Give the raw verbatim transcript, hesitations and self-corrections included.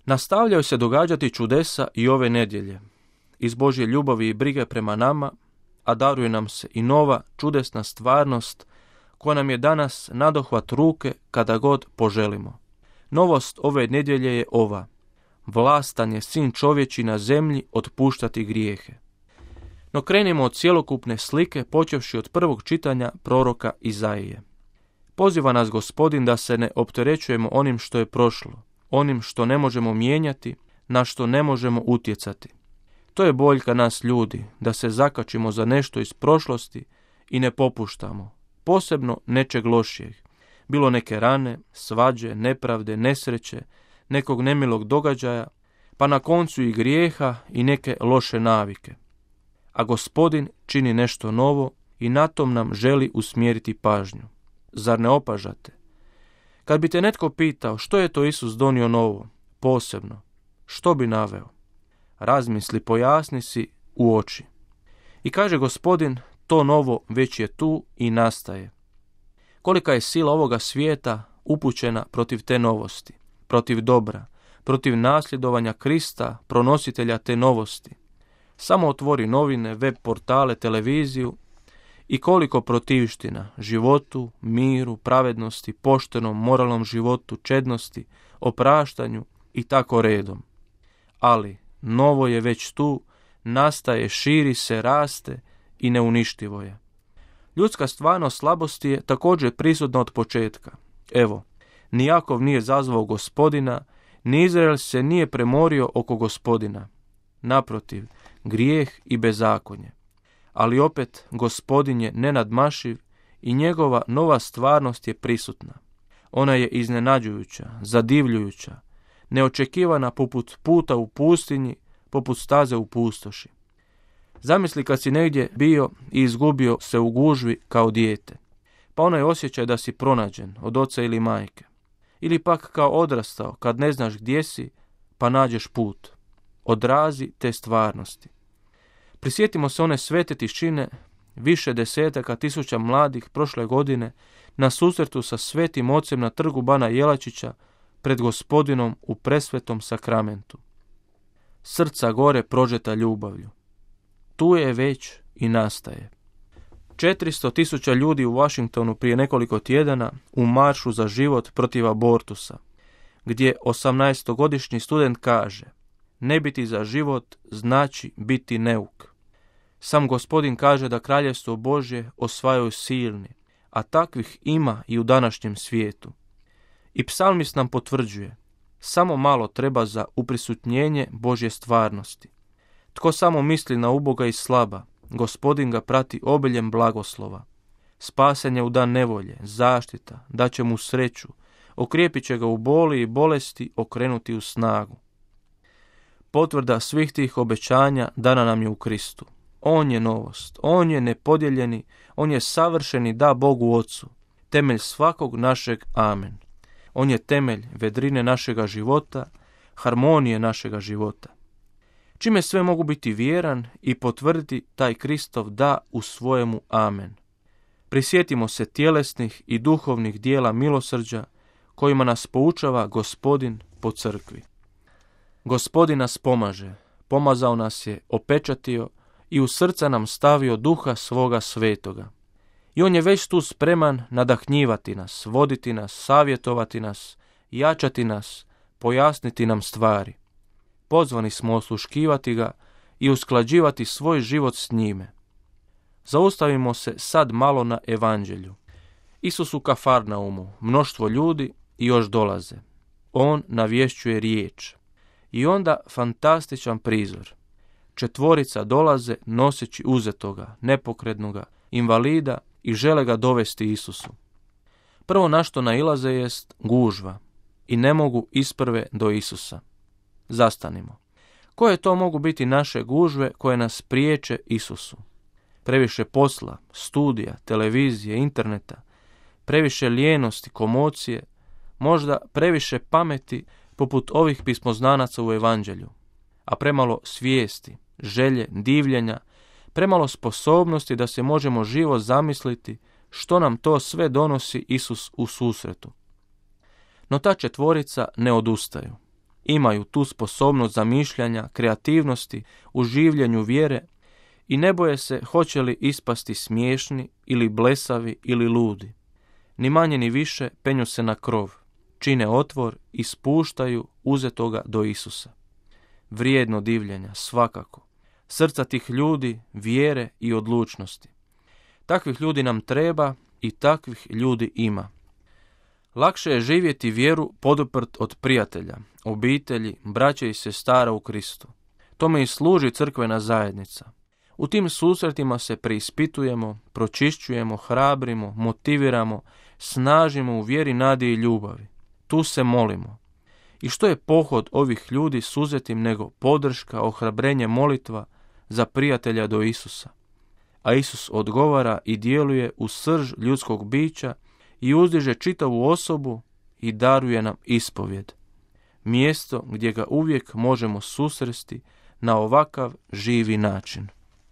Nastavljaju se događati čudesa i ove nedjelje. Iz Božje ljubavi i brige prema nama, a daruje nam se i nova čudesna stvarnost koja nam je danas nadohvat ruke kada god poželimo. Novost ove nedjelje je ova: vlastan je sin čovječi na zemlji otpuštati grijehe. No krenimo od cjelokupne slike, počevši od prvog čitanja proroka Izaije. Poziva nas Gospodin da se ne opterećujemo onim što je prošlo, onim što ne možemo mijenjati, na što ne možemo utjecati. To je boljka nas ljudi, da se zakačimo za nešto iz prošlosti i ne popuštamo, posebno nečeg lošijeg. Bilo neke rane, svađe, nepravde, nesreće, nekog nemilog događaja, pa na koncu i grijeha i neke loše navike. A Gospodin čini nešto novo i na tom nam želi usmjeriti pažnju. Zar ne opažate? Kad bi te netko pitao što je to Isus donio novo, posebno, što bi naveo? Razmisli, pojasni si u oči. I kaže Gospodin, to novo već je tu i nastaje. Kolika je sila ovoga svijeta upućena protiv te novosti, protiv dobra, protiv nasljedovanja Krista, pronositelja te novosti. Samo otvori novine, web portale, televiziju i koliko protivština životu, miru, pravednosti, poštenom, moralnom životu, čednosti, opraštanju i tako redom. Ali novo je već tu, nastaje, širi se, raste i neuništivo je. Ljudska stvarnost slabosti je također prisutna od početka. Evo, ni Jakov nije zazvao Gospodina, ni Izrael se nije premorio oko Gospodina. Naprotiv, grijeh i bezakonje. Ali opet Gospodin je nenadmašiv i njegova nova stvarnost je prisutna. Ona je iznenađujuća, zadivljujuća, neočekivana poput puta u pustinji, poput staze u pustoši. Zamisli kad si negdje bio i izgubio se u gužvi kao dijete, pa onaj osjećaj da si pronađen od oca ili majke. Ili pak kao odrastao kad ne znaš gdje si, pa nađeš put. Odrazi te stvarnosti. Prisjetimo se one svete tišine, više desetaka tisuća mladih prošle godine na susretu sa svetim ocem na trgu Bana Jelačića pred Gospodinom u presvetom sakramentu. Srca gore prožeta ljubavlju. Tu je već i nastaje. četiristo tisuća ljudi u Washingtonu prije nekoliko tjedana u maršu za život protiv abortusa, gdje osamnaestogodišnji student kaže: ne biti za život znači biti neuk. Sam Gospodin kaže da kraljevstvo Božje osvajaju silni, a takvih ima i u današnjem svijetu. I psalmist nam potvrđuje: samo malo treba za uprisutnjenje Božje stvarnosti. Tko samo misli na uboga i slaba, Gospodin ga prati obiljem blagoslova. Spasen je u dan nevolje, zaštita, daće mu sreću, okrijepit će ga u boli i bolesti, okrenuti u snagu. Potvrda svih tih obećanja dana nam je u Kristu. On je novost, on je nepodijeljeni, on je savršeni da Bogu Ocu, temelj svakog našeg amen. On je temelj vedrine našega života, harmonije našega života. Čime sve mogu biti vjeran i potvrditi taj Kristov da u svojemu amen. Prisjetimo se tjelesnih i duhovnih dijela milosrđa kojima nas poučava Gospodin po crkvi. Gospodin nas pomaže, pomazao nas je, opečatio i u srca nam stavio duha svoga svetoga. I on je već tu spreman nadahnjivati nas, voditi nas, savjetovati nas, jačati nas, pojasniti nam stvari. Pozvani smo osluškivati ga i usklađivati svoj život s njime. Zaustavimo se sad malo na evanđelju. Isus u Kafarnaumu, mnoštvo ljudi i još dolaze. On navješćuje riječ. I onda fantastičan prizor. Četvorica dolaze noseći uzetoga, nepokretnoga, invalida i žele ga dovesti Isusu. Prvo na što nailaze jest gužva i ne mogu isprve do Isusa. Zastanimo. Koje to mogu biti naše gužve koje nas priječe Isusu? Previše posla, studija, televizije, interneta, previše lijenosti, komocije, možda previše pameti poput ovih pismoznanaca u evanđelju, a premalo svijesti, želje, divljenja, premalo sposobnosti da se možemo živo zamisliti što nam to sve donosi Isus u susretu. No ta četvorica ne odustaju. imaju tu sposobnost zamišljanja, kreativnosti u življenju vjere i ne boje se hoće li ispasti smiješni ili blesavi ili ludi. Ni manje ni više penju se na krov, čine otvor i spuštaju uzetoga do Isusa. Vrijedno divljenja, svakako. Srca tih ljudi, vjere i odlučnosti. Takvih ljudi nam treba i takvih ljudi ima. Lakše je živjeti vjeru poduprt od prijatelja, obitelji, braće i sestara u Kristu. Tome i služi crkvena zajednica. U tim susretima se preispitujemo, pročišćujemo, hrabrimo, motiviramo, snažimo u vjeri, nadi i ljubavi. Tu se molimo. I što je pohod ovih ljudi suzetim nego podrška, ohrabrenje, molitva za prijatelja do Isusa. A Isus odgovara i djeluje u srž ljudskog bića i uzdiže čitavu osobu i daruje nam ispovjed. Mjesto gdje ga uvijek možemo susresti na ovakav živi način.